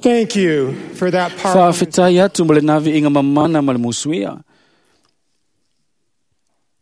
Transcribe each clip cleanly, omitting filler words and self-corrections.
Thank you for that powerful. Faafetai atu mo le naviiga mamana ma le musuia.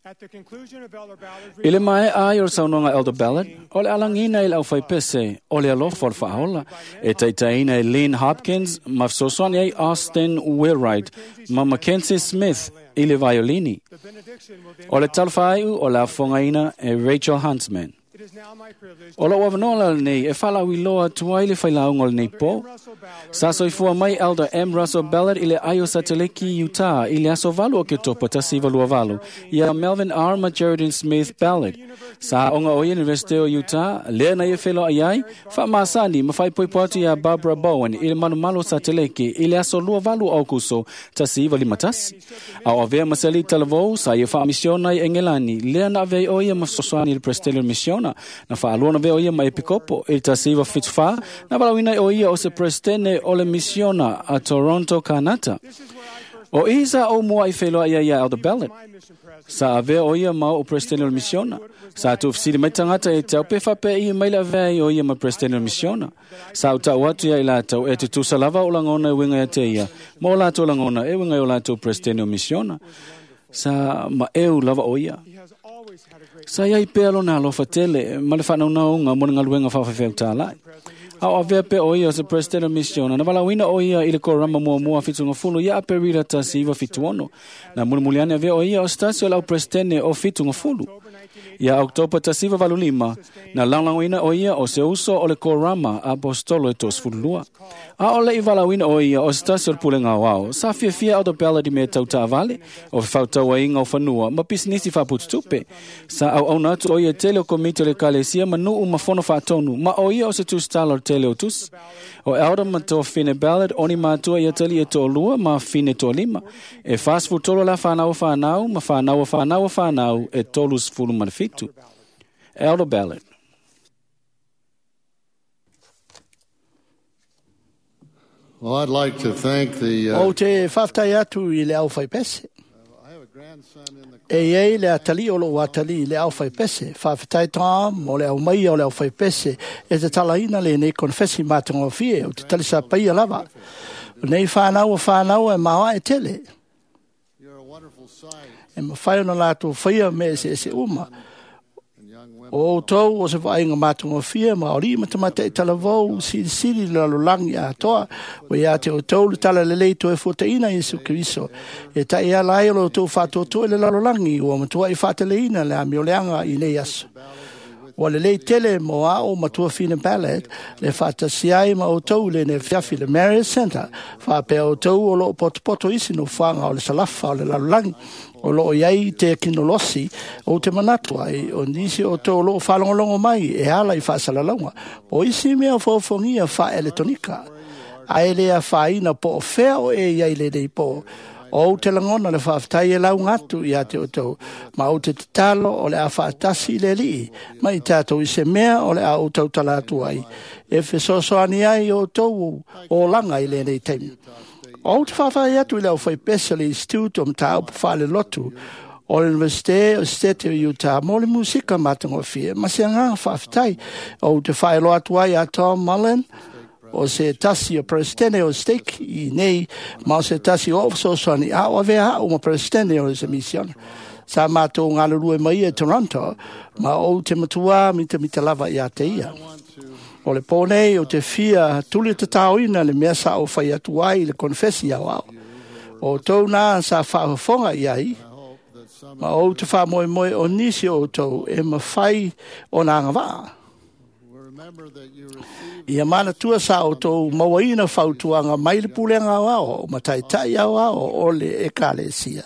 At the conclusion of Elder Ballard's I le mae ai o le saunoaga Elder Ballard, o le alagina i le aufaipese, o le alofa o le faaola, e taitaina e Lynn Hopkins, ma fesoasoani ai Austin Wheelwright, ma Mackenzie Smith i le vaiolini. the benediction will then O le talafaiu o le afogaina e Rachel Huntsman. It is now my privilege O lou avanoa la lenei e faalauiloa atu ai le failauga o lenei pō. Russell Ballard Sa soifua mai Elder M. Russell Ballard i le ai o Sateleki, Utah, i le aso 8 o Oketopa 1928, ia Melvin R. ma Geraldine Smith Ballard. Sa aoga o ia Universite o Utah, lea na ia feloai ai, faamasani ma faaipoipo atu iā Barbara Bowen i le malumalu o Sateleki i le aso 28 o Aukuso 1951. A o avea ma se alii talavou, sa ia faamisiona i Engelani, lea na avea ai o ia ma fesoasoani i le Presetene o le Misiona, na faalua na avea o ia ma epikopo i le 1974, na valaauina ai o ia o se Presetene o le Misiona a Toronto, Kanata. O i sa ou mua i feloai ai ia Elder Ballard. my mission president Sa avea o ia ma o Presetene o le Misiona. Sa tuufesili mai tagata e te au pe faapea i mai le avea ai o ia ma Presetene o le Misiona. Sa utau atu ia i latou e tutusa lava o lagona e uiga ia te ia, ma o latou lagona e uiga i o latou Presetene o Misiona. Sa maeu lava o ia. he has always had a great Sa iai pea lona alofa tele ma le faanaunauga mo le galuega faafaifeau-tālai. A o avea pea o ia o se President o Misiona, na valaauina o ia i le korama muamua fitugafulu ia Aperila 1976. Na mulimuli ane avea o ia o se tasi o le au Presidene o fitugafulu. Ia Oketopa 1985, na lagolagoina o ia o se uso o le korama apostolo e 32. A o le i valaauina o ia o se tasi o le pulega aoao, sa fiafia Elder Ballard i mea tau taavale, o fefaatauaiga o fanua ma pisinisi faapututupe. Sa auauna atu o ia i tele o komiti o le ekalesia ma nuu ma fono faatonu, ma o ia o se tusitala o le tele o tusi. O Elder ma Tofine Ballard o ni matua ia tali e toalua ma fine toalima. E 43 la whanau whanau ma whanau whanau whanau e 37. Elder Ballard. Well, I'd like to thank the. Ou te faafetai atu i le aufaipese. I have a grandson in the. E iai le atalii o lou atalii i le aufaipese. Faafetai Tom mo le aumaia o le aufaipese e te talaina lenei konefesi matagofie o te talisapaia lava. O nei whanau o whanau e maoa e tele. You're a wonderful sight, E mawhai ona lātou whaia me ese ese uma. and young women. O outou o se vaaiga matagofie ma o lima tamatai talavou silisili le lalolagi atoa o ia te outou le talalelei toe fuataina Iesu Keriso e ta'i ala ai o lo outou faatoatoa i le lalolagi ua matua'i faateleina le amioleaga i nei aso. Ua lelei tele mo a'o matua Fina Ballard le faatasi ai ma outou i lenei afiafi le Marriott Centre faapea outou o loo potopoto isi nofoaga o le salafa o le lalolagi o loo iai te kinolosi ou te manatu ai o nisi o outou o loo faalogologo mai e ala i faasalalauga po o isi mea o foofogia faaeletonika ae le afaina po o fea o e iai lenei po o ou te lagona le faafetai e lauga atu ia te outou ma ou te tatalo o le a faatasi i le alii ma i tatou i se mea o le a ou tautala atu ai e fesoasoani ai o outou olaga i lenei taimi. O ou te faafetai atu i le aufaipese o le Institute o Mataupu Faalelotu o le Universite o State o Utah mo le musika matagofie ma se agaga faafetai ou te faailoa atu ai a Tom Mullen o se tasi o Presidente o Stake i nei ma o se tasi o fesoasoani a o avea a'u ma Presidente o se misiona. Sa mātou galulue mai e Toronto ma ou te matuā mitamita lava ia te ia. O le pō nei o te fia tuli tataoina le mea sa o fai atu ai i le konefesi au ao. O tou nā sa faafofoga i ai, ma ou te faamoemoe o nisi o outou e mafai ona agavaa. Remember that you received Ia manatua sa outou mauaina fautuaga mai le pulega aoao o mataitai aoao o le ekalesia.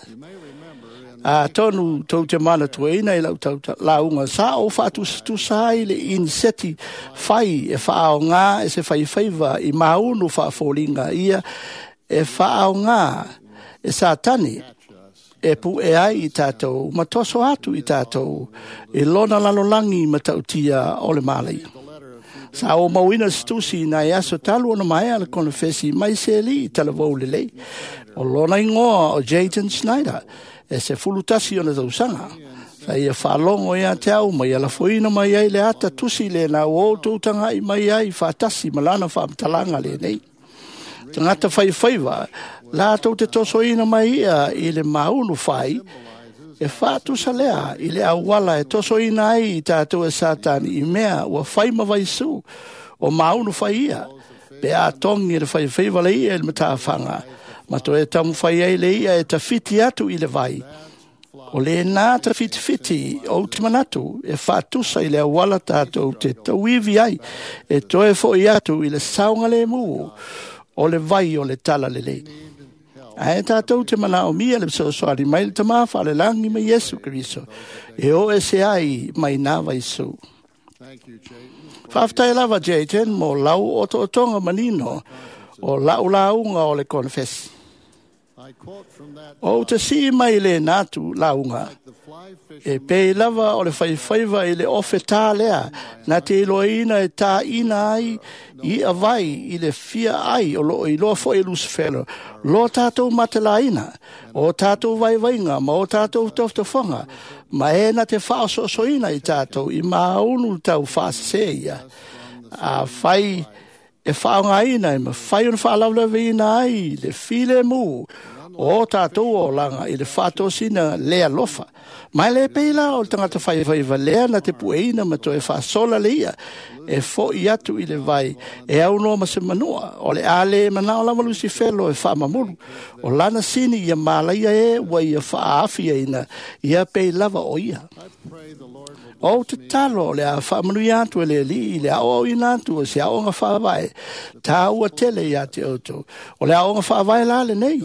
Atonu tou te manatuaina i lau lauga sa o faatusatusa ai le iniseti fai e faaogā e se faifaiva i maunu faafoliga ia e faaogā e Satani e pu'e ai i tatou ma toso atu i tatou i lona lalolagi matautia o le malaia. Sa o mauina se tusi i nai aso talu ona maea le konefesi mai se alii talavou lelei. O lona igoa o Jayden Snyder e 11 ona tausaga. Sa ia faalogo ia te au ma ia lafoina mai ai le ata tusi lena ua outou taga'i mai ai faatasi ma lana faamatalaga lenei. Tagata faifaiva latou te tosoina mai ia i le maunu fai, e faatusa lea i le auala e tosoina ai i tatou e Satani i mea ua fai ma vaisu o maunu fai ia, pe a togi e le faifaiva le ia i le matafaga, ma toe taumafai ai le ia e tafiti atu i le vai. O lena tafitifiti ou te manatu e faatusa i le auala tatou te tauivi ai, e toe fo'i atu i le saogalemu o le vai o le talalelei. Ae tatou te manaomia le fesoasoani mai le Tamā Faalelagi ma Iesu Keriso e o ese ai mai nā vaisu. Thank you, Chayton. Faafetai lava Jayton mo lau otootoga manino o lau lauga o le konefesi. I quote from that O te sii mai le natu lauga, the fly e fisherman pei lava o le faifaiva i le ofe tā lea, na te iloaina e tāina ai i a vai i le fia ai o loo iloa foi e Lucifero, lo tātou matelaina, o tātou vaivaiga ma o tātou tofotofoga, ma e na te whaososoina i tātou i maunu tau whaasese ia. A whai e whaongaina e mawhai ona whaalawlaweina ai le file mu o tātou o langa i le whaatosina lea lofa. Mai le peila o le tangata whaiwhaiwa lea na te pueina ma toe whaasola le ia e fo i atu i le vai e au noa ma se manua o le ale manao lava Lucifero e whaamamulu o lana sini ia malaia e ua ia whaafia ina ia pei lava o ia. I pray the Lord will O te talo o le a whaamanui atu e le li i le ao au ina atu o se aonga whaavae, tā ua tele ia te outou. O le aonga whaavae la le nei,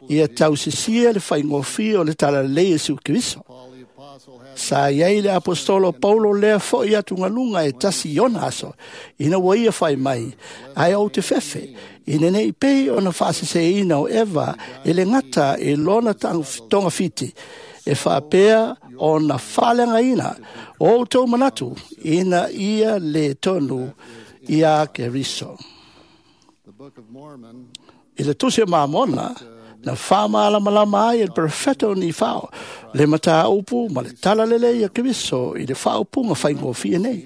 ia tausisia le whaingofia o le talalelei e Iesu Keriso. Paul the Apostle had Sa iai le apostolo Paulo lea fo'i atu ngaluga e tasi i ona aso, ina ua ia whai mai, ai au te fefe, ina nei pei ona whaaseseina o Eva e le ngata e lona tonga fiti, e whaapea ona whalengaina o outou manatu ina ia le tonu ia Keriso. the Book of Mormon I le tusi o Mamona, na whaamalamalama ai e le perfetto ni whao, le mata upu ma le talalele ia Keriso i le whaopunga whaingofia nei.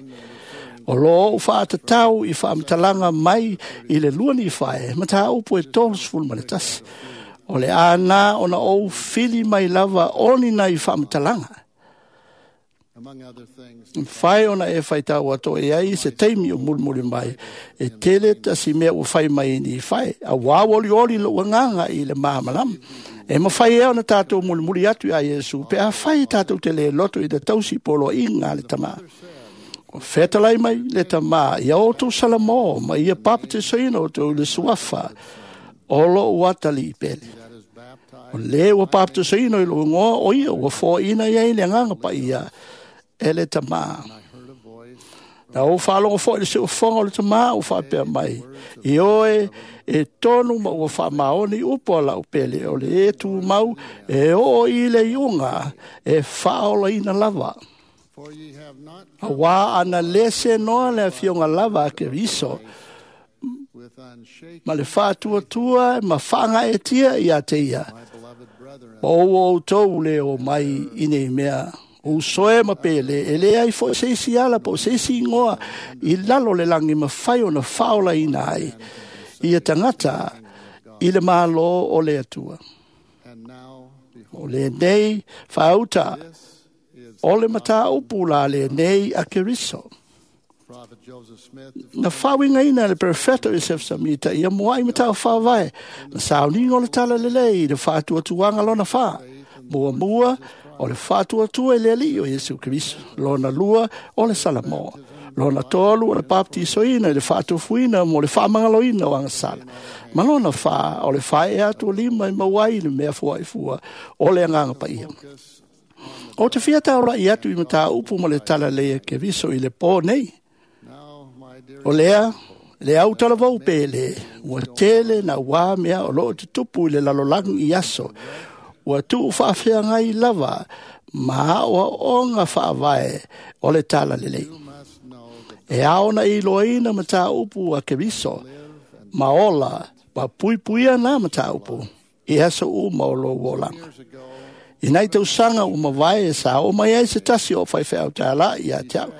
O lo o whaatatau i whaamatalanga mai i le lua ni whae, mata upu e 31 ma le tasi. O le ana ona ou fili mai lava oni na i whaamatalanga. among other things Whai ona e whai tau ato e ai se teimi o mulimuli mai. E tele tasi mea ua whai mai ni whai. A wā oli oli lo nganga i le mahamalama. E mawhai e ona tātou mulimuli atu i a Iesu. Pe a whai tātou te le loto i te tausi polo i ngā le tama. O whetalai mai le tama ia o tō salamo ma ia papatisoina o tō le suafa o lo uatali i pele. that is baptized O le ua papatisoina i lo ngoa o ia ua fōina ia i le nganga pa ia e le tama. I heard a voice Na o whaalongo fo i le seufonga o le tama o whaapea mai. I oe e tonu ma ua whaamaoni upo la upele o le e tū mau e o i le iunga e whaola ina lava. for ye have not A wā ana lese noa le afionga lava a Keriso with unshaken ma le whātuatua ma whaanga e tia i a te ia. my beloved brethren Ma o o tau le o mai i nei mea. O soe ma pele, e le ai fo se isi ala po se isi ingoa i lalo le langi ma whai ona whaola ina ai. Ia tangata i le malo o le atua. and now O behold le nei whaauta this is o le mata upu la le nei a Keriso. Prophet Joseph Smith Na whawinga ina le perfetto Joseph Samita ia mua i matau whawai. Na sauninga o le tala lelei i le whaatuatuanga lona wha. Mua mua o le whaatuatua i le ali o Iesu Keriso. Lona lua o le Salamoa. Lona tolu o le baptisoina i le whaatufuina mo le whaamangaloina o angasala. Ma lona wha o le whae atu o lima i mauai i le mea fua i fua o le anganga pa ia. focus O te whiata ora i atu i mata upu ma le tala lea Keriso i le pō nei. now my dear O lea, le au talavou pele, ua tele na wā mea o loo te tupu i le lalolangi i aso. Ua tuu whaafeangai lava, ma oa onga whaavae o le tala lelei. you must know that E ao na i loaina ma tā upu a Keriso, ma ola, ma puipuia nā ma tā upu, i aso u ma o lo olanga. years ago I nei tausaga o mavae e sa o mai ai se tasi o whaiwhea o tā la i a te au. this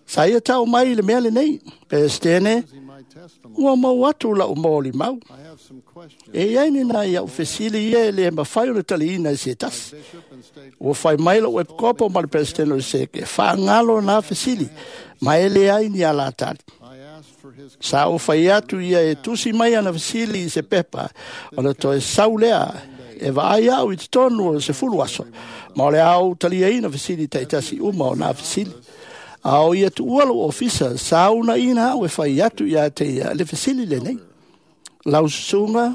Sa ia tau mai i le mea le nei, Peresetene, using my testimony. Ua mau atu la'u molimau. I have some questions. E iai ni nai a'u fesili ia e lē mafai ona taliina e se tasi. Bishop and state Ua fai mai lo'u epikopo ma le peresetene o le seke e faagalo nā fesili ma e leai ni alatali. I asked for his Sa ou fai atu ia e tusi mai ana fesili i se pepa ona toe sau lea e vaai a'u i totonu o le 10 aso ma o le a ou taliaina fesili ta'itasi uma o nā fesili. A o ia tu'ua lo'u ofisa sa unaʻina a'u e fai atu iā te ia le fesili lenei. Lau susuga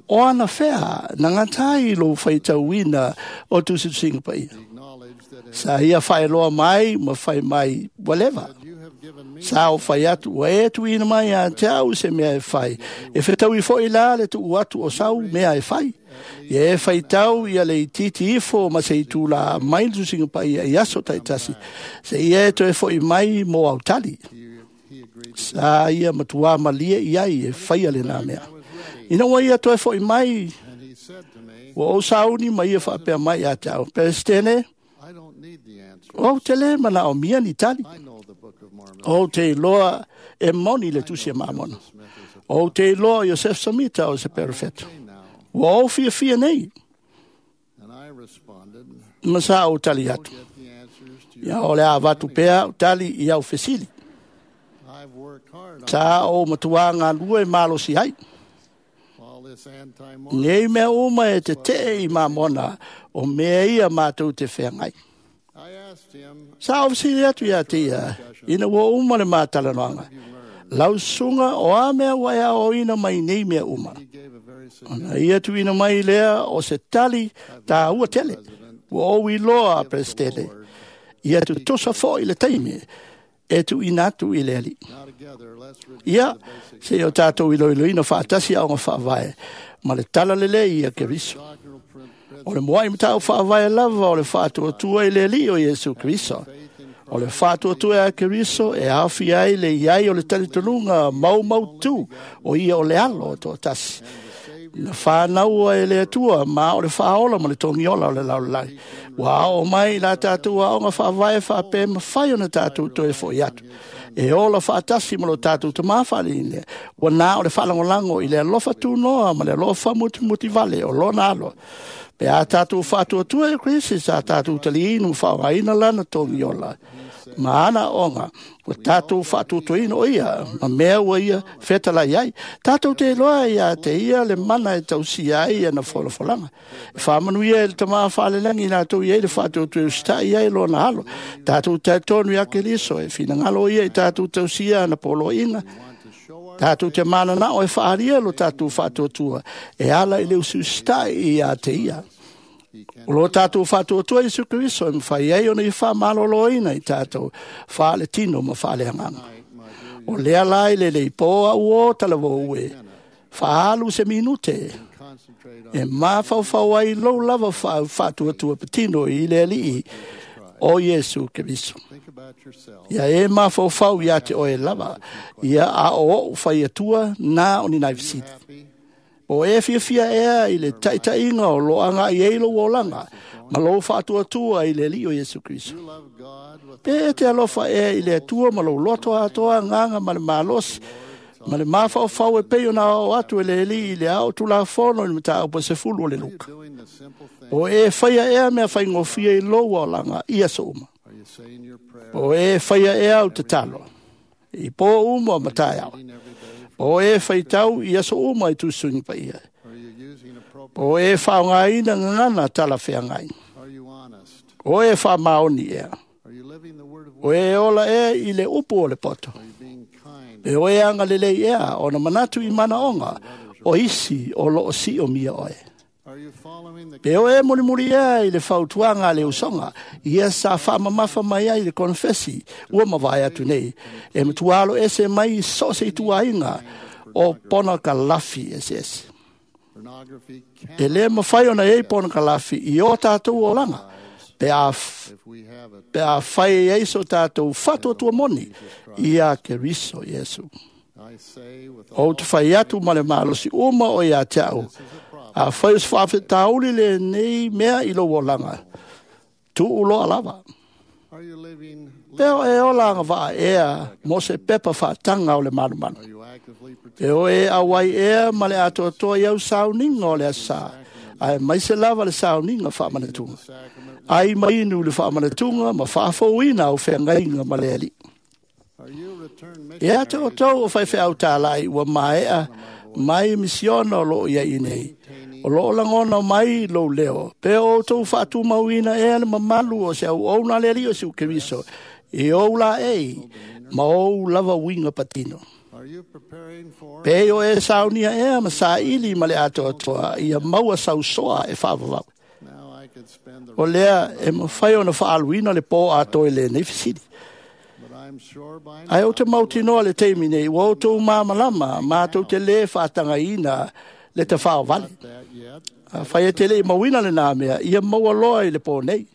o ana fea na gatai lou faitauina o tusitusiga paia. acknowledge that it, Sa ia faeloa mai ma fai mai ua leva. you have given me Sa o fai atu ua e tuuina mai ia te au se mea e fai. E fetaui fo'i la le tuu atu o sau mea e fai. Ia e faitau ia le itiiti ifo ma se itulā mai le tusiga paia i aso ta'itasi. Se ia e toe fo'i mai mo autali. he agreed to Sa ia matuā malie i ai e faia lenā mea. Ina ua ia toe fo'i mai and he said to me, ua ou sauni ma ia faapea mai ia te au. Peresetene, I don't need the answer. ou te lē manaomia ni tali. I know the Book of Mormon. Ou te iloa e moni le tusi a Mamona. Smith is a Ou te iloa Iosef Samita o se perofeto. now. Ua ou fiafia nei, And I responded, ma sa ou tali atu. get the answers to Ia your o le a vatu pea au tali i au fesili. I've worked hard on Sa ou matua ngā lua e malosi ai. all this anti-Mormon. Nei mea uma e te tee i Mamona o mea ia mātou te whengai. I asked him, Sa ou fesili atu ia te ia, ina ua uma le mātalanoanga. Lau susuga o a mea ua e aoaoina mai nei mea uma. he gave a very significant Ona ia tuuina mai lea o se tali tāua tele. Ua ou iloa a Peresetene. Ia tutusa fo'i le taimi e tuuina atu i le Alii. Now together, let's review Ia, the basic se o tātou iloiloina faatasi aoga faavae ma le tala lelei ia Keriso. doctrinal O le moai matau faavae lava o le faatuatua i le Alii o Iesu Keriso. faith in O le faatuatua a Keriso e aofia ai le iai o le talitonuga maumautu o ia o le alo o toatasi. Na whānaua e le Atua ma o le whaola ma le togiola o le lalolagi. Ua ao mai la tātou aoga faavae faapea mafai ona tātou toe fo'i atu. E ola faatasi ma lo tātou tamā whaaliine. Ua nā o le whaalangolango i le alofa tūnoa ma le alofa mutimuti vale o lona alo. Pe a tātou faatuatua e Kristi sa tātou taliinu whaogaina lana togiola. Ma ana onga, ua tātou faatuatuaina o ia, ma mea ua ia fetalai ai. Tātou te iloa ia te ia le mana e tausia ai ana folafolanga. E whaamanuia e le tamā whaalelangi latou i ai le faatuatua e usitai ai lona alo. Tātou talitonu ia Keriso e finagalo ia i tātou tausia ana poloaiga. want to show our Tātou te mananao e whaaria lo tātou faatuatua e ala i le usiusitai ia te ia. he can O lo tātou faatuatua Iesu Keriso e mawhai ai ona i whaamaloloina i tātou whaale tino ma whaale anganga. night, my dear O lea lai le lei pō au o talavou e. Whaalu se minute concentrate on e mafaufau ai lou lava faatuatua patino i le Alii o Iesu Keriso. think about yourself Ia e mafaufau ia te oe lava. Ia a o ou whai atua nā o ni nai fisili. happy O e fiafia ea i le taitaiga o loaga i ei lou olaga, ma lou faatuatua i le Alii o Iesu Keriso. you love God with Pe e te alofa ea i le Atua ma lou loto atoa agaga ma le malosi, ma le mafaufau e pei ona ao atu e le Alii i le ao tulafono i le mataupu e 10 o le Luka. doing the simple thing O e whaia ea mea whaingofia i lou olaga i aso uma. are you saying your prayer O e whaia ea au te talo. I pō uma matai au. every day O e whaitau i aso uma i tūsungi pa ia. are you using appropriate O e whaongaina ngana tala wheangai. are you honest O e whaamaoni ea. are you living the word of O e ola ea i le upu o le poto. are you being kind E oe anga lelei ea o na manatu i mana onga o isi o loo si o mia oe. are you following the Pe oe mulimuli ea i le fautuaga a le usoga, ia sa faamamafa mai ai le konefesi ua mavae atu nei, e matuā ese mai i so o se ituaiga o ponokalafi eseese. pornography E lē mafai ona iai ponokalafi i o tatou olaga, pe a if we have it pe a fai ai so tātou faatuatua moni ia Keriso Iesu. I say with O all te whai atu ma le malosi uma o ia te au. this is a problem A whai o se whaafetauli le nei mea i lou olaga. Tuu loa lava. Are you living Peo e ola anga vaa ea mo se pepa whaatanga o le malumalu. Are you actively E o e awai ea ma le atoatoa iau sauninga o le asa. Ae mai se lava le sauninga whaamanatunga. sacrament? Ai mainu le whaamanatunga ma whaafouina au whengainga ma le ali. Are you returned E ate o missionaries tau o whaiwhe au tālai ua maea mai misiona o loo ia i nei. O loo langona mai lou leo. Pe o tau whaatumauina ea le mamalu o se au au nā le ali o se ukeriso. E o la ei, ma o lava winga patino. Are you preparing for Pe o e saunia ea ma sa ili ma le atoatoa ia maua sausoa e whaavavau. Now I could spend the O lea e mawhai ona whaaluina le pō atoe le nei fisili. but I'm sure by Ai o te mautinoa le teimi nei, ua o tō māmalama, mātou te le whaatangaina le te whaovale. that yet A whai e te le mauina le nā mea, ia maua loa i le pō nei.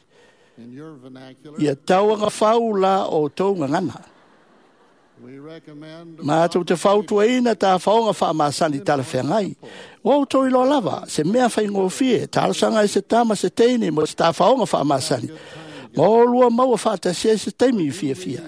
in your vernacular Ia tauanga whaula o tō ngangana. we recommend Mātou te whautuaina tā whaonga whaamasani tala whengai. Ua o tō iloa lava, se mea whai ngōwhie, tālasanga i se tama se teine mo se tā whaonga whaamasani. Ma o lua maua whaatasia i se teimi i fia fia.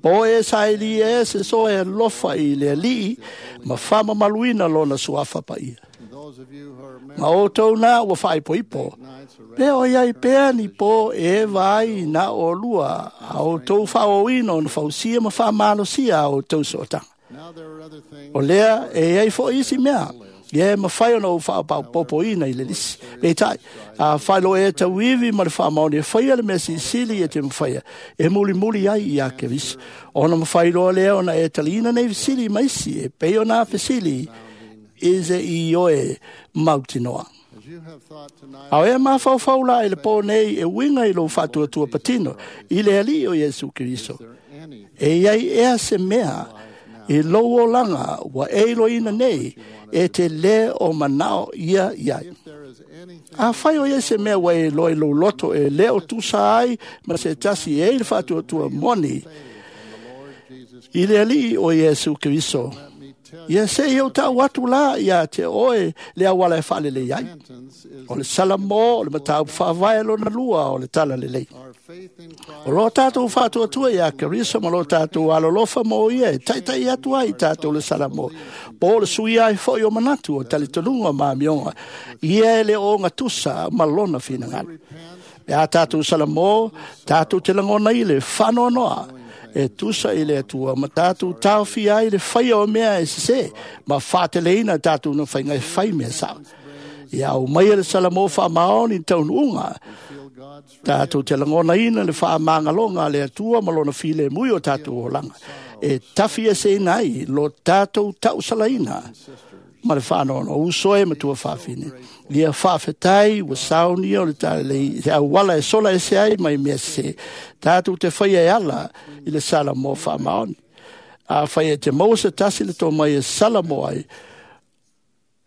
Po e saili e se so e lofa i le alii, ma whama maluina lona suafa pa ia. those of you who are Ma married o tau nā ua whaipoipo. nights are Pe o iai pea ni po e vai na o lua, a o tau whaoina o na whausia ma whamalosia a o tau sootanga. Now there are other things O lea e ai fo isi mea. Ia e mawhai ona o whaapaupopo ina i le lisi. Pe tai, a whailo e tauiwi ma le whaamaoni e whaia le mea sisili e te mwhaia. E muli muli ai i a kerisi. Ona mwhai loa lea ona e talina nei fisili maisi e pei ona fisili i se i oe mautinoa. as you have thought tonight Ao e mawhauwhau la i le pō nei e winga i lo whātua patino i le ali o Iesu Keriso. there any E iai ea se mea i lou olanga ua e iloina nei e te le o manao ia iai. if there is anything A whai o ia se mea ua e loa i lou loto e leo tusa ai ma se tasi e i le whātua moni in the Lord Jesus i le alii o Iesu Keriso. let me tell Ia se i au tau atu la ia te oe le awala e whaalele ai. repentance is O le salamo, o le matau whaavae lona lua o le tala lelei. our faith in O lo Christ tātou whātua ia Keriso ma lo tātou alolofa mo ia e taitai atu ai tātou le salamo. Po le sui ai fo i o manatu o talitonunga ma mionga. Ia e le o ngā tusa ma lona whinangalo. repent E a tātou salamo, tātou te langona i le whanoanoa. E tusa i le atua, ma tātou tauwhi ai le whaia o mea e sese, ma whāteleina tātou na whainga e whai mea sao. Ia au mai e le salamo wha maoni taunuunga, feel God's tātou te langona ina le whaamāngalonga le atua ma lona file mui o tātou olanga. E tawhi e se ina ai, lo tātou tausalaina ma le whanono, uso e matua whawhine. Ia whawhetai, ua saunia o le tālei, te awala e sola e se ai mai mea se. Tātou te whai e ala i le sala mō whaamaoni. A whai e te maua se tasi le tō mai e sala mō ai.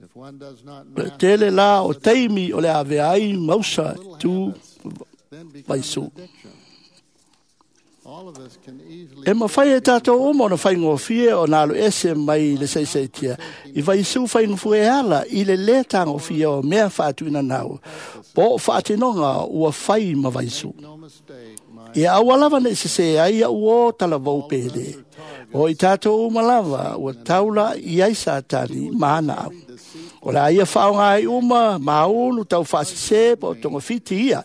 if one does not Le master tele la o teimi o le ave ai mausa tu then become vaisu. an addiction all of us can easily E mawhai e tātou uma ona whaingofie o nā lo ese mai le seiseitia. I vaisu whaingofue e ala i le le tāngofia o mea whaatuina nau. Po o whaatinonga ua whai ma vaisu. no mistake my Ia aua lava nei se se ai au o tala vau pele. O i tātou uma lava ua taula i ai sātani maana au. O la ia whaonga ai uma, maunu tau whaasese, pa o tonga whiti ia.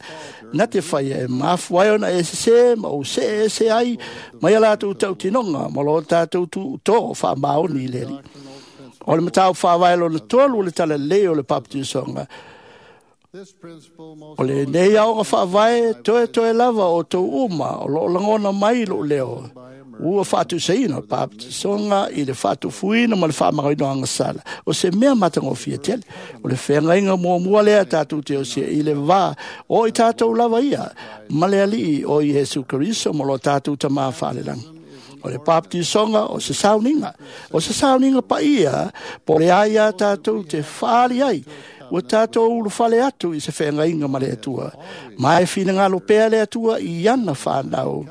Nā te whai e mafu ai ona e se ma o se e se ai, mai a lātou tau tinonga, ma lo tātou tu tō wha maoni i leri. O le matau whaavae lona tolu o le tala lei o le papatisonga. this principle most O le nei aoga whaavae, toe toe lava o tau uma, o lo langona mai lo leo. Ua whaatuseina o le papatisonga i le whaatufuina ma le whaamagaino angasala. O se mea matangofia tele. O le whengainga mua mua lea tātou te o se i le vā. O i tātou lava ia, ma le alii o Iesu Keriso ma lo tātou tamā whaalelangi. O le papatisonga o se sauninga. O se sauninga pa ia, po le ai a tātou te whaali ai. Ua tātou ulu whale atu i se whengainga ma le atua. Mai whina pea le atua i ana whanau.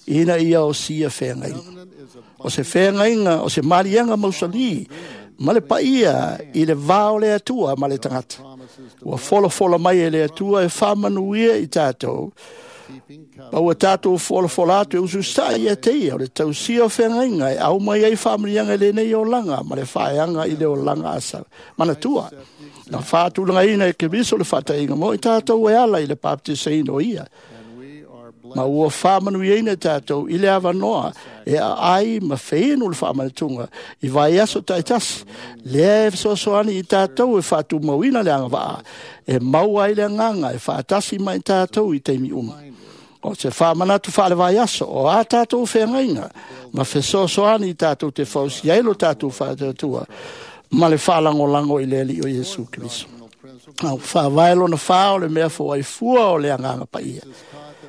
Ina ia o sia whengainga. covenant is a O se whengainga, o se marianga mausali, ma le paia i le vao le atua ma le tangata. promises to Ua folofola mai e le atua e whamanuia i tātou. Ma ua tātou folafola atu e ususai ia te ia o le tausia o feagaiga e au mai ai faamanuiaga i lenei olaga ma le faeaga i le olaga asa manatua. Na faatulagaina e Keriso le faataiga mo i tātou e ala i le baptisaina o ia. Ma ua faamanuiaina tātou i le avanoa e aai ma feinu le faamanatuga i vaiaso taitasi. Lea e fesoasoani i tātou e faatumauina le agavaa e maua ai le agaga e faatasi mai tātou i taimi uma. O se faamanatu faale-vaiaso o a tātou feagaiga ma fesoasoani i tātou te fausia ai lo tātou faatuatua ma le faalagolago i le Alii o Iesu Keriso. Au faavae lona fā o le mea foaifua o le agaga paia.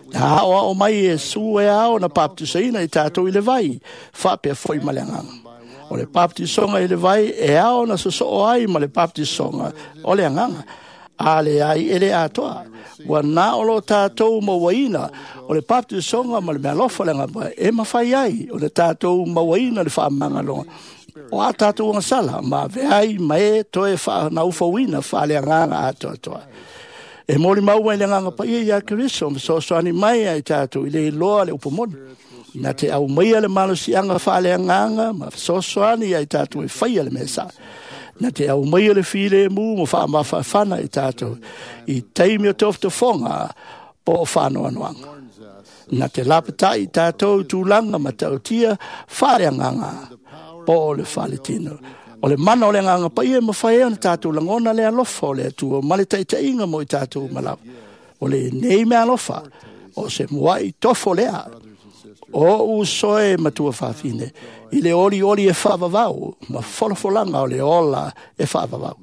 Na aoao mai Iesu e ao na baptisaina i tātou i le vai, faapea foi ma le agaga. O le baptisoga i le vai e ao na sosoo ai ma le baptisoga o le agaga. A le ai e le atoa. Ua na o lo tātou mauaina o le baptisoga ma le mealofa le agaga e mafai ai o le tātou mauaina le faamagaloga. O a tātou agasala ma veai ma e toe whaanaufauina whaale agaga atoatoa. E moli maua i le agaga paia ia Keriso ma soasoani mai ai tātou i le iloa le upomoni. Na te au maia le malosiaga whaale agaga ma soasoani ai tātou e whaia le mea sa. Na te au maia le filemu ma whaamawhawhana i tātou i taimi o tofotofoga po o whanoanoanga. Na te lapatai i tātou tūlanga ma tautia whaale agaga po o le whaletino. O le mana o le agaga paia e mawhai e na tātou langona le alofa o le Atua ma le taitaiga mo i tātou malawa. O le nei mea alofa o se muai tofo lea o uso e matua fafine i le oli oli e whaavavau ma folafolaga o le ola e whaavavau.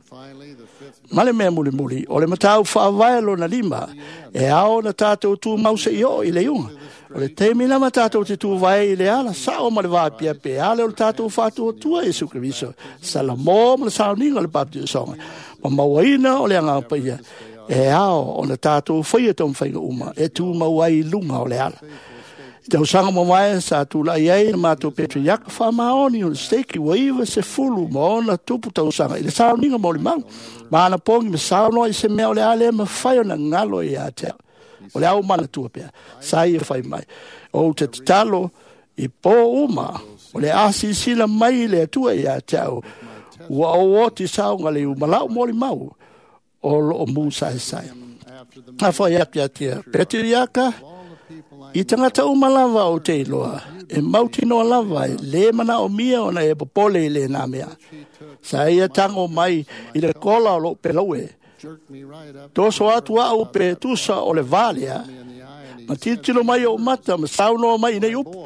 Ma le mea mulimuli o le matau whaavae lona lima e ao na tātou tū mause i o i le iuga. O le taimi lama tātou te tū vae i le ala sao ma le vāpia pe ale o le tātou whātuatua Iesu Keriso. Salamo ma le sauniga o le baptisoga. Ma mauaina o le agaga paia e ao o na tātou whaia tō mwhaiga uma e tū mau ai lunga o le ala. I tausaga mamae sa tūlai ai na mātou Petriaka whaamaoni o le steki ua iwa se fulu ma ona tupu tausaga i le sauniga mo le mau. Ma ana pongi ma saunoa i se mea o le ale ma whai o na ngalo i a te au. O le au manatua pea, sa ia whai mai. O te tatalo i pō uma, o le asisila mai le atua i a te au. Ua o oti saunga le umalau mo le mau o lo o mū sae sae. A whai atu ia tia Petriaka, i tangata uma lava o te iloa, e mautinoa lava e le mana o mia ona e popole i le nā mea. Sa ia tango mai i le kola o lo pelaue. Toso atu au pe tusa o le valea, ma titilo mai o mata ma saunoa mai nei upu.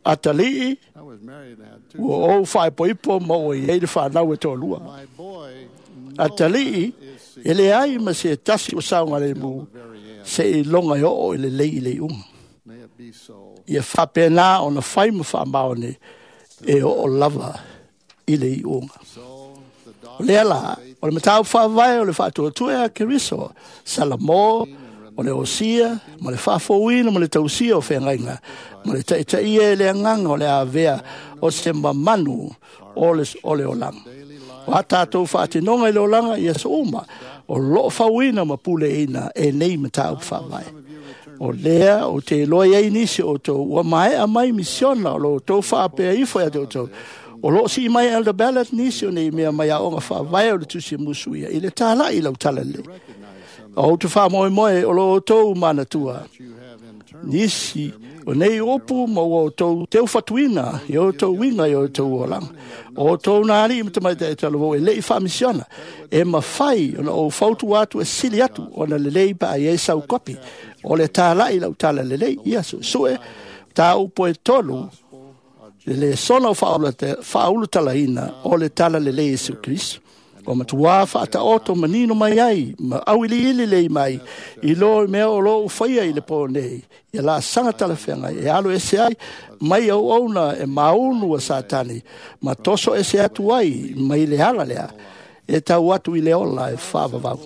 Atalii, ua ou whaepoipo ma ua i ei le whanau e tōlua. Atalii, e le ai ma se tasi o saunga le mu, se i longa i oo i le lei i le unga. Ia whapena o na whai ma whaamaone e oo lava i le iunga. O lea la, o le matau whaavae o le whaatuatua a Keriso, Salamo, o le osia, ma le whaafouina ma le tausia o whengainga, ma le taitaia e le anganga o le avea o se mamanu o le olanga. O a tātou whaatinonga i le olanga i aso uma, o loo whauina ma pule ina e nei matau whaavae. O lea o te iloa i ai nisi o tau, ua maea mai misiona o lo tau whaapea ifo ia te o tau. O loo si mai Elder Ballard nisi o nei mea mai aonga whaavae o le tusi musuia i le tālai lau talalei. O te whamoe moe o lo o tau manatua. Nisi o nei opu ma o tau teu whatuina i o tau winga i o tau olanga. O tau nā ali ma tamaita e talo e lei whaamisiona. E mawhai ona o fautu atu e sili atu ona le lei pa ai e sau kopi. O le tālai lau talalei ia sue tā upo e tolu le sona o whaulutalaina o le talalelei Iesu Keriso. O matua whaata manino mai ai, ma awili ili lei mai, i lo mea o lo uwhaia i le pō nei, i la sanga talawhenga, e alo ese ai, mai au auna e maunu a Satani, ma toso ese atu ai, mai le ala lea, e tau atu i le ola e whaavavau.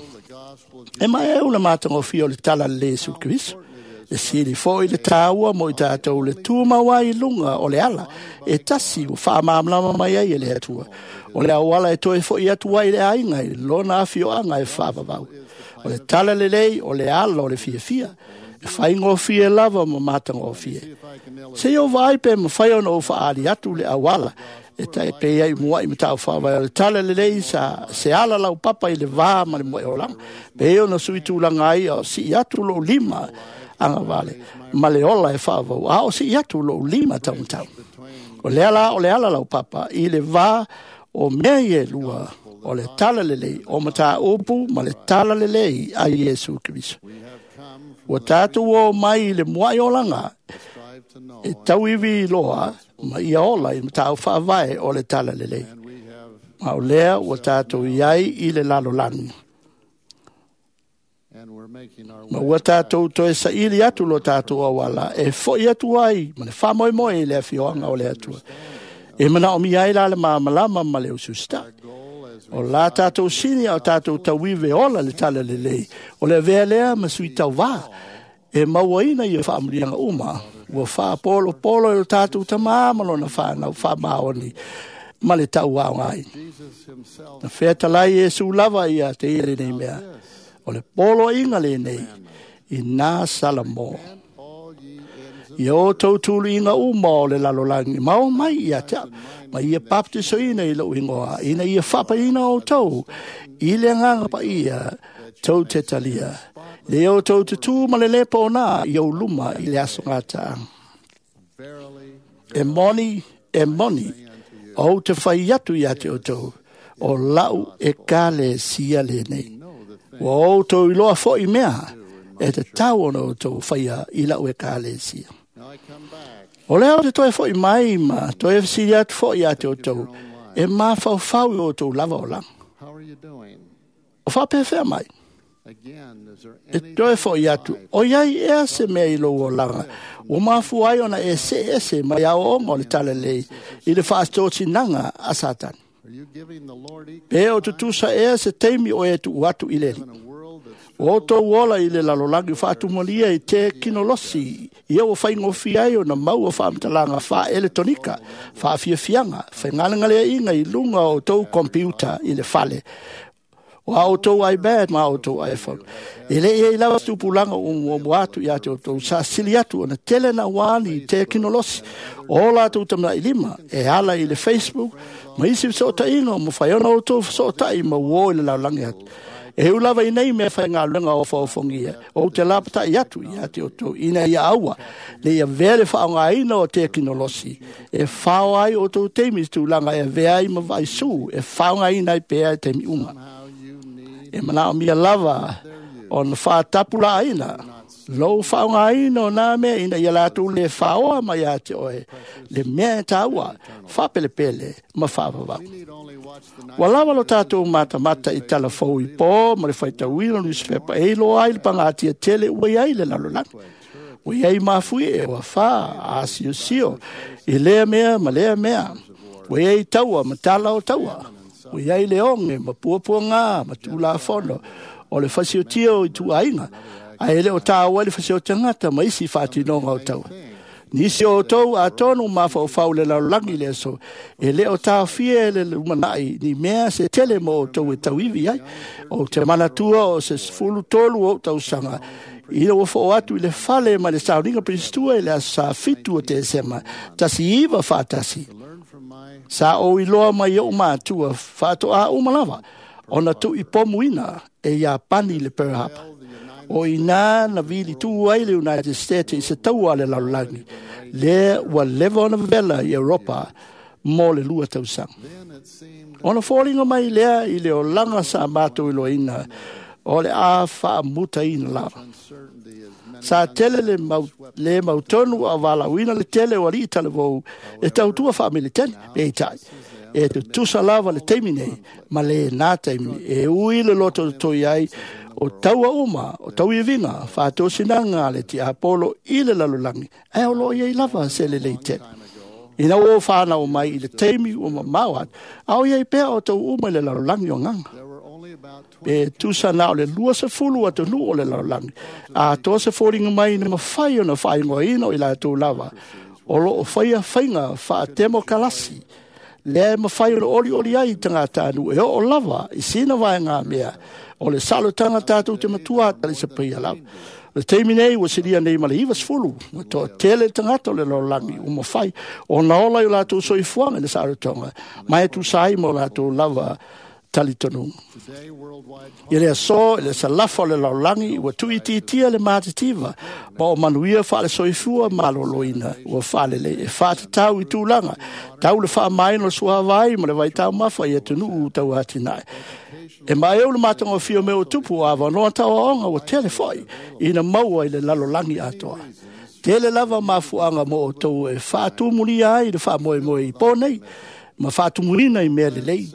E mai e una mātangofia o le talalelei Iesu Keriso. E sili fo i le tāua mo i tātou le tūmau ai lunga o le ala. E tasi o whaamamlama mai ai e le atua. O le auala e toe fo i atu ai le ainga i lona awhioanga e whaavavau. O le talalelei o le ala o le fiafia. E faigofie lava ma matagofie. Se i ou vaai pe mafai ona ou faaali atu le auala e taipei ai muaʻi mataupu faavae o le tala lelei sa se ala laupapa i le va ma le muaʻi olaga. Pe ona sui tulaga ai o sii atu lou lima agavale ma le ola e faavau, a o sii atu lou lima taumatau. O lea la o le ala laupapa i le va o mea ia e lua, o le tala lelei o mataupu ma le tala lelei a Iesu Keriso. Ua tatou o mai i le muaʻi olaga e tauivi loa ma ia ola i mataupu faavae o le tala lelei. Ma o lea ua tatou iai i le lalolagi. Ma ua tatou toe saili atu lo tatou auala e foʻi atu ai ma le faamoemoe i le afioaga o le Atua. E manaomia ai la le malamalama ma le usiusitai. O la tatou sini a o tatou tauive ola le tala lelei, o le avea lea ma sui tauvā e mauaina ia faamanuiaga uma ua faapolopolo e lo tatou tamā ma lona fanau faamaoni ma le tauaoga ai. Na featalai Iesu lava ia te ia lenei mea, o le poloaiga lenei i nā Salamo. Ia outou tuluiga uma o le lalolagi ma o mai ia te au, ma ia baptisoina i lou igoa, ina ia faapaina outou i le agaga paia tou te talia. Le outou tutū ma le lepo o nā i ou luma i le aso gataaga. E moni, e moni, ou te fai atu ia te outou, o lau e kalesia lenei. Ua outou iloa foʻi mea e tatau ona outou faia i lau ekalesia. O lea ou te toe foʻi mai ma toe fesili atu foʻi ia te outou, e mafaufau i outou lava olaga. O faapefea mai? E toe foʻi atu, o iai ea se mea i lou olaga, ua mafua ai ona e seʻe ese mai aoaoga o le tala lelei i le faatosinaga a Satani. Pe o tutusa ea se taimi o e tuu atu i le Alii. Ua outou ola i le lalolagi faatumalia i te kinolosi, ia ua faigofie ai ona maua faamatalaga faaeletonika, faafiafiaga, faigalegaleaiga i luga o outou kompiuta i le fale, o a outou iPad ma a outou iPhone. E le i ai lava se tupulaga ua muamua atu ia te outou sa sili atu ona tele na uani i te kinolosi o latou tamanai lima e ala i le Facebook ma isi fesootaiga o mafai ona outou fesootai ma uo i le lalolagi atu. E ui lava i nei mea faigaluega ofaofogia, ou te lapatai atu ia te outou ina ia aua le ia avea le faaaogaina o tekinolosi e fao ai outou taimi i tulaga e avea ai ma vaaisū e faaaogaina ai pea i taimi uma. E manaomia lava ona faatapulaaina lou faaaogaina o nā mea ina ia latou le faoa mai ia te oe le mea e taua, faapelepele ma faavavau. Ua lava lo tatou matamata i talafou i pō ma le faitauina o newspaper e iloa ai le pagatia tele ua iai le lalolagi. Ua iai mafui e ua fā asiosio i lea mea ma lea mea. Ua iai taua ma tala o taua. Ua iai le oge ma puapuagā ma tulafono o le fasiotia o ituaiga, ae le o tāua ai le fasiotagata ma isi faatinoga o taua. Nisi o outou atonu mafaufau le lalolagi le aso, e le o taofia e le lumanai ni mea se tele mo outou e tauivi ai. Ou te manatua o se 13 ou tausaga, ina ua foo atu i le fale ma le sauniga Pilistua i le aso sa 7 o Tesema, 1941. Sa ou iloa mai ou matua faatoa uma lava ona tuuipomuina e Iapani le Pearl Harbor. O ina na vili tu ai le United States i se taua a le lalolagi, lea ua leva ona vevela i Europa mo le 2 tausaga. Ona foliga mai lea i le olaga sa matou iloaina o le a faamutaina lava. Sa tele le mau, le mautonu a valaauina le tele o alii talavou e tautua faamilitene, peitai e tutusa lava le taimi nei ma le nā taimi e ui le loto toi ai o taua uma o tauiviga faatosinaga a le tiapolo i le lalolagi, ae o loo iai lava se lelei tele. Ina ua ou fanau mai i le taimi ua mamao atu, a o iai pea o tou uma i le lalolagi o agaga. Pe tusa na o le 20 atunuu o le lalolagi, atoa se foliga mai na mafai ona faaigoaina o i latou lava o loo faia faiga faatemokalasi, lea e mafai ona olioli ai i tagatanuu e oo lava i sina vaegamea o le salotaga tatou te matua talisapaia lava. Le taimi nei ua silia nei ma le 90 ua toatele tagata o le lalolagi ua mafai ona ola i o latou soifuaga i le saolotoga ma e tusa ai ma o latou lava talitonuga. I le aso i le salafa o le lalolagi ua tuuitiitia le matitiva ma o manuia faale-soifua maloloina ua faalelei e faatatau i tulaga tau le faamaina o le suavai ma le vaitaumafa i atunuu tauatinae. E maeu le matagofie o mea ua tupu o avanoa tauaoga ua tele foi ina maua i le lalolagi atoa. Tele lava mafuaaga mo outou e faatumulia ai le faamoemoe i po nei ma faatumuina i mea lelei.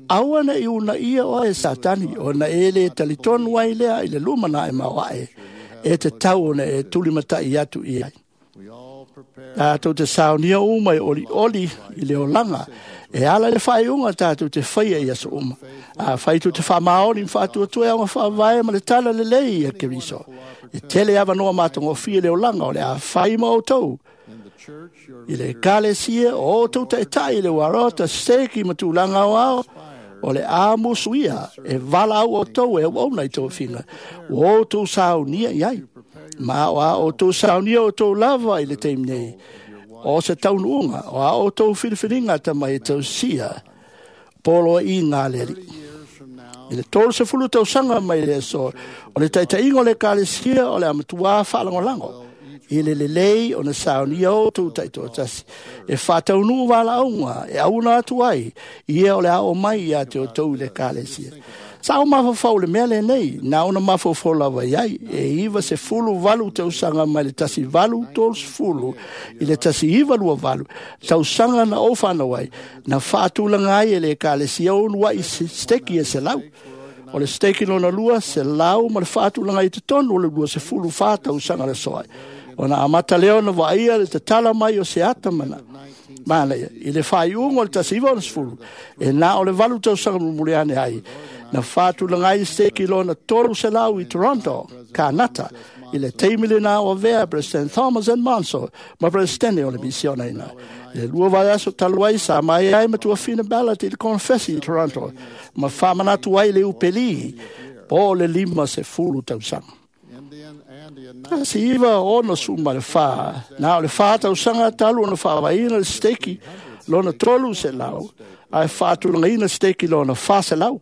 Aua ne i uunaia oe e Satani, ona e le talitonu ai lea i le lumanai maoae e tatau ona e tulimatai atu i ai. Tatou te saunia uma e olioli i le olaga e ala i le faaiuga tatou te faia i aso uma. Afai tou te faamaoni ma faatuatua e aoga faavae ma le tala lelei ia Keriso, e tele avanoa matagofie le olaga o le a fai ma outou i le ekalesia o outou taitai i le uarota steki ma tulaga aoao o le a musuia e valaau outou e auauna i tofiga ua outou saunia i ai. Ma o a outou saunia outou lava i le taimi nei o se taunuuga o a outou filifiliga tamai e tausia poloaiga a le Alii. I le 30 tausaga mai le aso o le taitaiga o le ekalesia o le a matuā faalagolago i le lelei ona saunia outou taitoatasi e faataunuu valaauga e auna atu ai ia o le a oo mai ia te outou i le ekalesia. Sa ou mafaufau i le mea lenei, na ona mafaufau lava i ai, e 98 tausaga mai le 1830 i le 1928, tausaga na ou fanau ai, na faatulaga ai e le ekalesia uluai steki e 100. O le steki lona lua, 100 ma le faatulaga i totonu o le 24 tausaga le soai. Ona amata lea ona vaaia le tatala mai o se ata mana. Manaia, i le faaiuga o le 1960, e na o le 8 tausaga mulimuli ane ai, na faatulaga ai steki lona 300 i Toronto, Kanata, i le taimi lena o avea President Thomas N. Monso ma Presidente o le misiona ina. I le lua vaiaso talu ai sa mai ai matuafina ballot i le confessi i Toronto, ma faamanatu ai le upeli po o le 50 tausaga. 1964, na o le 4 tausaga talu ona faavaeina le steki lona 300, ae faatulagaina steki lona 400.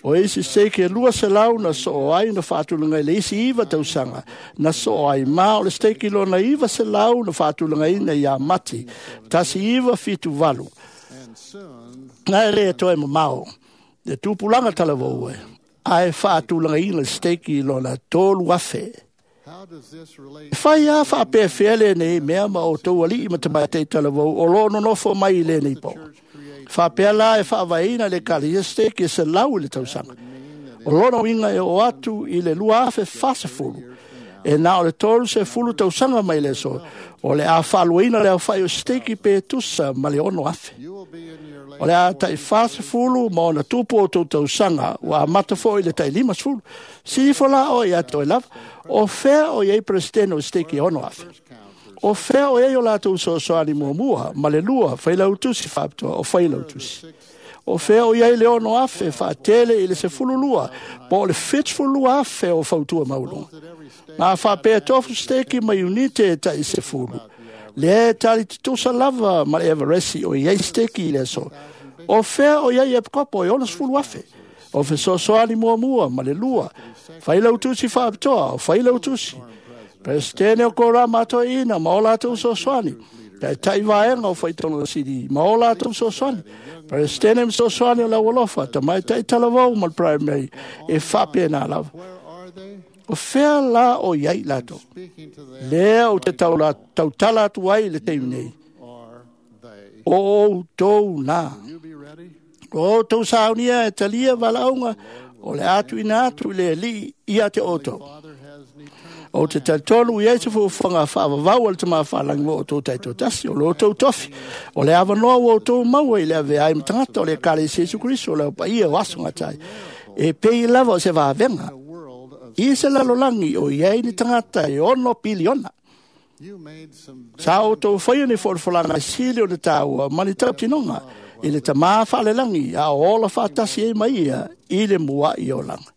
O isi steki e 200 na soo ai na faatulaga i le isi 9 tausaga na soo ai, ma o le steki lona 900 na faatulagaina ia Mati 1978. Na e le toe mamao le tupulaga talavou e, ae faatulagaina le steki lona 3,000. E fai a faapefea lenei mea ma outou alii ma tamaitai talavou o loo nonofo mai i lenei po. Faapea la e faavaeina le ekalesia steki e 100 i le tausaga. O lona uiga e oo atu i le 2040, e na o le 30 tausaga mai le aso, o le a faaluaina le aofai o steki pe tusa ma le 6,000. O le a tai 40 ma ona tupu o outou tausaga, ua amata foi i le tai 50. Silifo la oe ia te oe lava, o fea o i ai Peresetene o steki e 6,000? O fea o i ai o latou soasoani muamua ma le lua failautusi faapitoa o failautusi? O fea o i ai le 6,000 faatele i le 12 po o le 72,000 o fautua maualuga? Ma faapea tofu steki ma iunite e tai 10. Lea e tali tutusa lava ma le Everesi o i ai steki i le aso. O fea o i ai epikopo e 60,000? O fesoasoani muamua ma le lua failautusi faapitoa o failautusi. Peresetene o Korama atoeina ma o latou soasoani. Taitai vaega o faitauga sili ma o latou soasoani. Peresetene ma soasoani o le aualofa, tamaitai talavou ma le primary e faapena lava. O fea la o i ai latou? Lea ou te tautala atu ai i le taimi nei. O outou na. O outou saunia e talia valaauga o le a tuuina atu i le Alii ia te outou. Ou te talitonu i ai se fuafuaga faavavau a le Tama Faalagi mo outou taitoatasi, o lo outou tofi, o le avanoa ua outou maua i le avea ai ma tagata o le ekalesia Iesu Keriso o le aupaia o aso gatai. E pei lava o se vavega i se lalolagi o i ai ni tagata e 6 piliona. Sa outou faia ni folafolaga e sili o le taua ma ni tautinoga i le Tama Faalelagi a o ola faatasi ai ma ia i le mua'i olaga.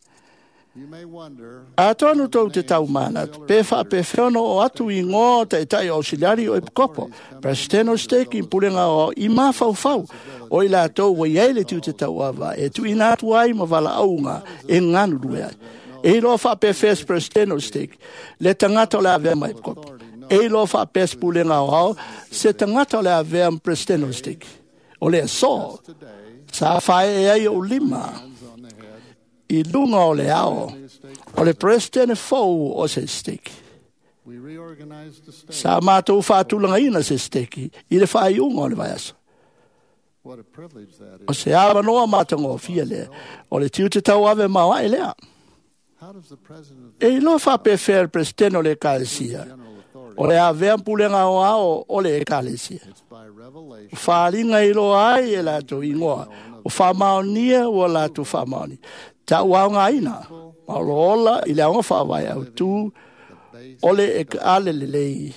Atonu tou te taumanatu, pe faapefea ona oo atu igoa o taʻitaʻi o ausiliari o epikopo, peresetene o steki ma pulega aoao i mafaufau o i latou ua i ai le tiute tauava e tuuina atu ai ma valaauga e galulue ai. E iloa faapefea se peresetene o le stake le tagata o le avea ma epikopo. E iloa faapea se pulega aoao se tagata o le avea ma peresetene o le stake. O le aso sa faaee ai ou lima i luga o le ao o le peresetene fou o se stake. Sa matou faatulagaina se stake i le faaiuga o le vaiaso. O se avanoa matagofie lea, o le tiute tauave maoae lea. E iloa faapefea le peresetene o le ekalesia o le avea pulega aoao o le ekalesia. O faaaliga e iloa ai e latou igoa, o faamaonia ua latou faamaoni, tauaogaina, ma o lo ola i le aoga faavae autū o le ekaale lelei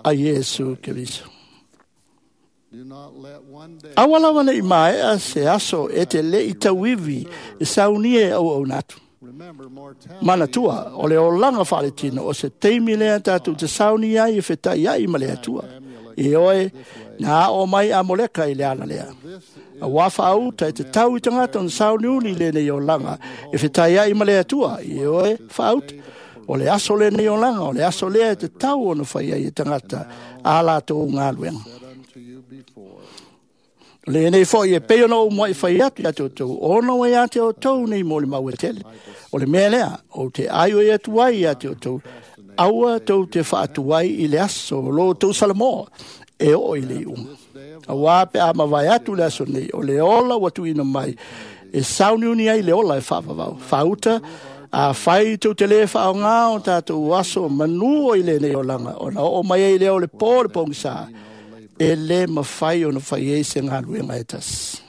a Iesu Keriso. Aua lava neʻi maea se aso e te leʻi tauivi e saunia e auauna atu. Manatua, o le olaga faaletino o se taimi lea tatou te sauni ai e fetaʻiaʻi ma le Atua. Ioe, na aʻo mai Amoleka i le ala lea. Auā faauta e tatau i tagata ona sauniuni i lenei olaga e fetaiaʻi ma le Atua. Ioe, faauta. O le aso lenei olaga, o le aso lea e tatau ona fai ai e tagata a latou galuega. O lenei foi e pei ona ou muaʻi fai atu iā te outou, ona ua iā te outou nei molimau e tele. O le mea lea, ou te aioi atu ai iā te outou, aua tou te faatuai i le aso o lo outou Salamoa e oo i le iuga. Auā pe a mavae atu le aso nei, o le ola ua tuuina mai, e sauniuni ai le ola e faavavau. Faauta, afai tou te lē faaaogā o tatou aso manū o i lenei olaga, ona oo mai ai lea o le pō le pogisā, e lē mafai ona fai ai se galuega e tasi.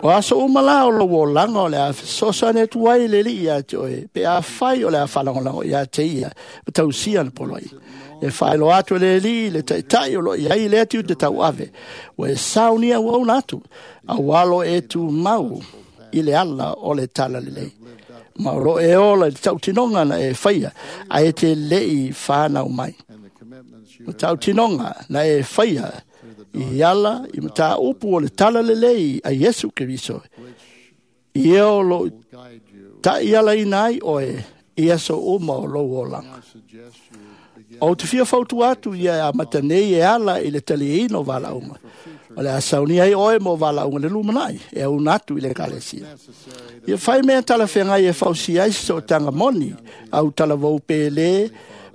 O aso uma la o lou olaga o le a fesoasoani atu ai le Alii iā te oe, pe afai o le a faalagolago iā te ia ma tausia ana poloaiga. E faailoa atu e le Alii le taʻitaʻi o loo i ai lea tiute tauave, ua e saunia auauna atu, auā lo e tumau i le ala o le talalelei. Ma o loo e ola i le tautinoga na e faia, ae e te leʻi fanau mai. Ma tautinoga na e faia i ala i mataupu o le talalelei a Iesu Keriso, ia o loo taʻialaina ai oe i aso uma o lou olaga. Ou te fia fautua atu ia e amata nei e ala i le taliaina o valaauga. O le a saunia ai oe mo valaauga le lumanai e auna atu i le ekalesia. Ia fai mea talafeagai e fausia ai se sootaga moni au talavou pe lē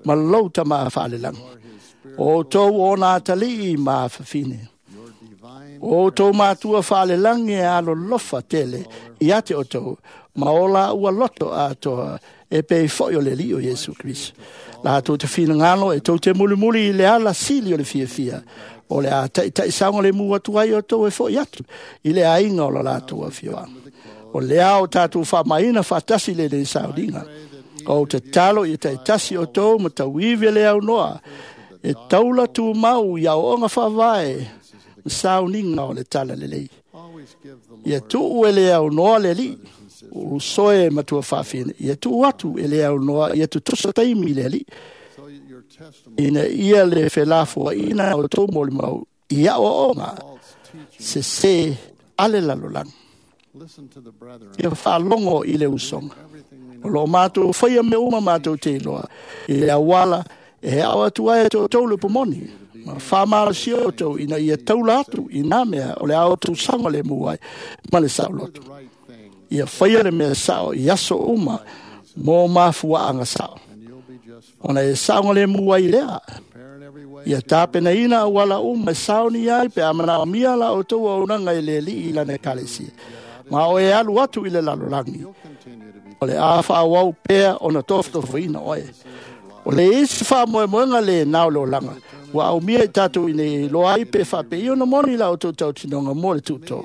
ma lou tamā faalelagi. O outou ona atalii ma afafine. O outou matua faalelagi e alolofa tele ia te outou, ma o laua loto atoa e pei foi o le Alii o Iesu Keriso. Latou te finagalo e tou te mulimuli i le ala sili o le fiafia, o le a taʻitaʻisaoga lemu atu ai outou e foʻi atu i le aiga o lo latou afioaga. O lea o tatou faamaina faatasi lenei sauniga. Ou te tatalo ia taʻitasi outou ma tauivi e le aunoa, e taula tumau i aoaoga faavae ma sauniga o le talalelei. Ia tuu e le aunoa le Alii, usoe matua faafine, ia tuu atu e le aunoa ia tutusa taimi i le Alii, ina ia le felafoaiina o outou molimau i aoaoga sesē a le lalolagi. Ia faalogo i le usoga. O loo matou faia mea uma matou te iloa i le auala e ao atu ai e te outou le pomoni, ma faamalosia outou ina ia taula atu i nā mea o le a outou saogalemu ai ma le saoloto. Ia faia le mea sao i aso uma mo mafuaaga sao, ona e saogalemu ai lea. Ia tapenaina auala uma e saoni ai pe a manaomia la outou auaunaga i le Alii i lana ekalesia. Ma o e alu atu i le lalolagi, o le a faaauau pea ona tofotofoina oe. O le isi faamoemoega lenā o le olaga, ua aumia i tatou ina ia iloa ai pe faapei ona moni la outou tautinoga mo le tuutoo.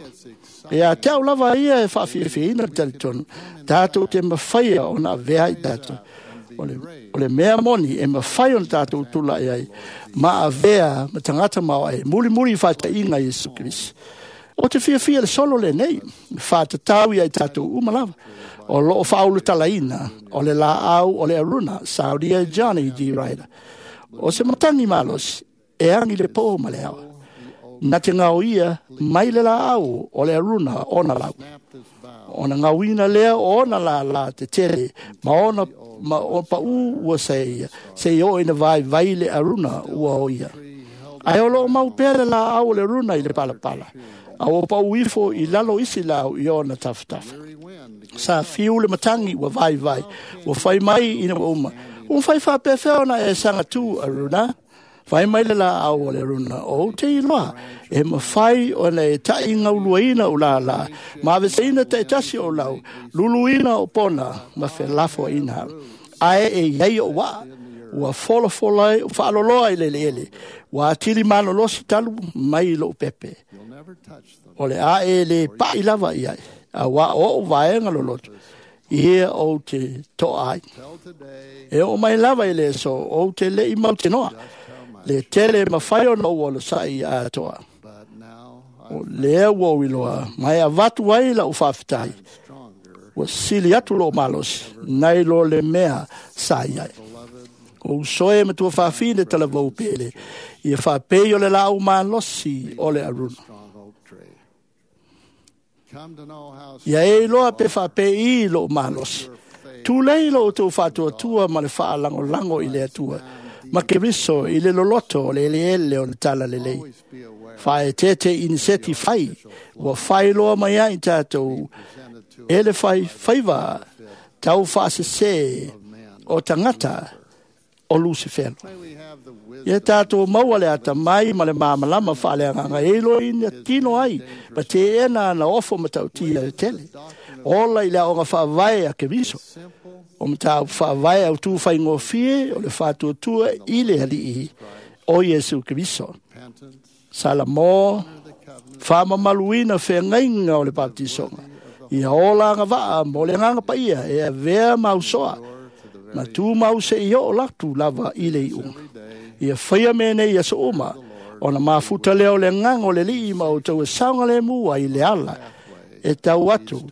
Ia te au lava ia e faafiafiaina le talitonu, tatou te mafaia ona avea ai tatou. O le mea moni e mafai ona tatou tulaʻi ai ma avea ma tagata maoae mulimuli i faataʻiga a Iesu Keriso. O te fiafia le solo lenei, faatatau ia i tatou uma lava. O loo faaulutalaina o le laau o le aruna, saunia Johnny G. Ryder. O se matagi malosi, e agi le pō ma le ao. Na te ngao ia mai le laau o le aruna ona lau. Ona gauina lea o ona lālā tetele ma ona ma o paʻū ua saeia seia oo ina vaivai le aruna ua o ia. Ae o loo mau pea le laau o le aruna i le palapala, a ua paʻū ifo i lalo isi lau i ona tafatafa. Sa fiu le matagi ua vaivai, ua fai mai ina ua uma. Ua fai faapefea ona e sagatū aruna? Fai mai le laau o le aruna, o ou te iloa, e mafai ona e taʻigauluaina ou lālā, ma aveseina taitasi o lau, luluina o pona, ma felafoaiina. Ae e iai o waa, ua folafola ai, faaloloa i le eleele, ua atili malolosi talu mai lou pepe. O le a e le paʻi lava i ai, auā o oʻu vaega loloto, ia ou te toa ai. E oo mai lava i le aso, ou te leʻi mautinoa, le tele e mafai ona ou olosaʻi atoa. O lea ua ou iloa, ma e avatu ai lau faafetai, ua sili atu lou malosi, nai lo le mea sa i ai. O uso e ma tuafafine talavou pele, ia faapei o le laau malosi o le aruna. Ia e iloa pe faapei lou malosi. Tulei lo outou faatuatua ma le faalagolago i le Atua, ma Keriso i le loloto o le eleele o le talalelei. Faaeteete i ni seti fai, ua failoa mai ai tatou e le fai faiva tau faasesē o tagata o Lusifelo. Ia tatou maua le atamai ma le malamalama faaleagaga e iloaina tino ai ma teena ana ofo matautia e tele. Ola i le aoga faavae a Keriso. O mataupu faavae autū faigofie o le faatuatua i le Alii o Iesu Keriso. Salamo faamamaluina feagaiga o le baptisoga. Ia ola agavaa mo le agaga paia e avea mausoa ma tumau seia oo latu lava i le iuga. Ia faia mea nei i aso uma, ona mafuta lea o le agaga o le Alii ma outou e saogalemu ai i le ala e tau atu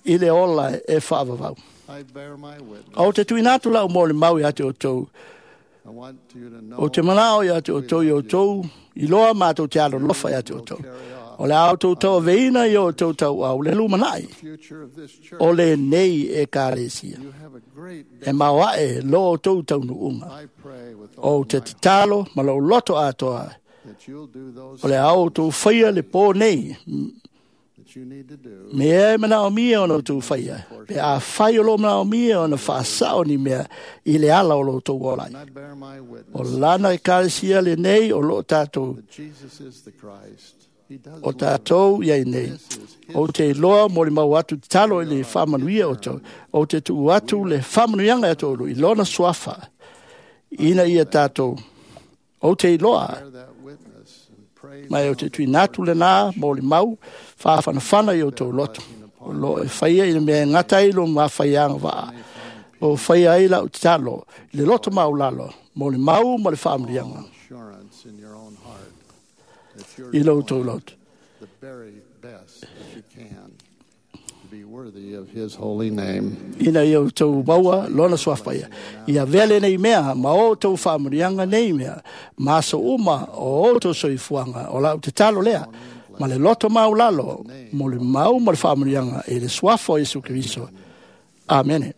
i le ola e faavavau. Ou te tuuina atu lau molimau ia te outou. Ou te manao ia te outou i outou iloa matou te alolofa ia te outou. O le a outou tauaveina i o outou tauau le lumanai o lenei ekalesia. E maoaʻe lo outou taunuuga. Ou te tatalo ma lou loto atoa. O le a outou faia le pō nei. Mea e manaomia ona outou faia. Pe afai o loo manaomia ona faasao ni mea i le ala o lo outou ola ai. O lana ekalesia lenei o loo tatou o tatou iai nei. Ou te iloa molimau atu tatalo i le faamanuia o outou. Ou te tuu atu le faamanuiaga ia te i lona suafa ina ia tatou. Ou te iloa ma ou te tuuina atu lenā molimau faafanafana i outou loto. O loo e faia i le mea e gata ai lo mafaiaga vaa. O faia ai lau tatalo i le loto maulalo, molimau ma le faamanuiaga i lo outou loto. The very best that you can to be worthy of his holy name. Ina ia outou maua lona suafa ia. Ia avea lenei mea ma o outou faamanuiaga nei mea, ma aso uma o outou soifuaga. O lau tatalo lea, ma le loto maulalo, molimau ma le faamanuiaga i le suafa o Iesu Keriso. Amene.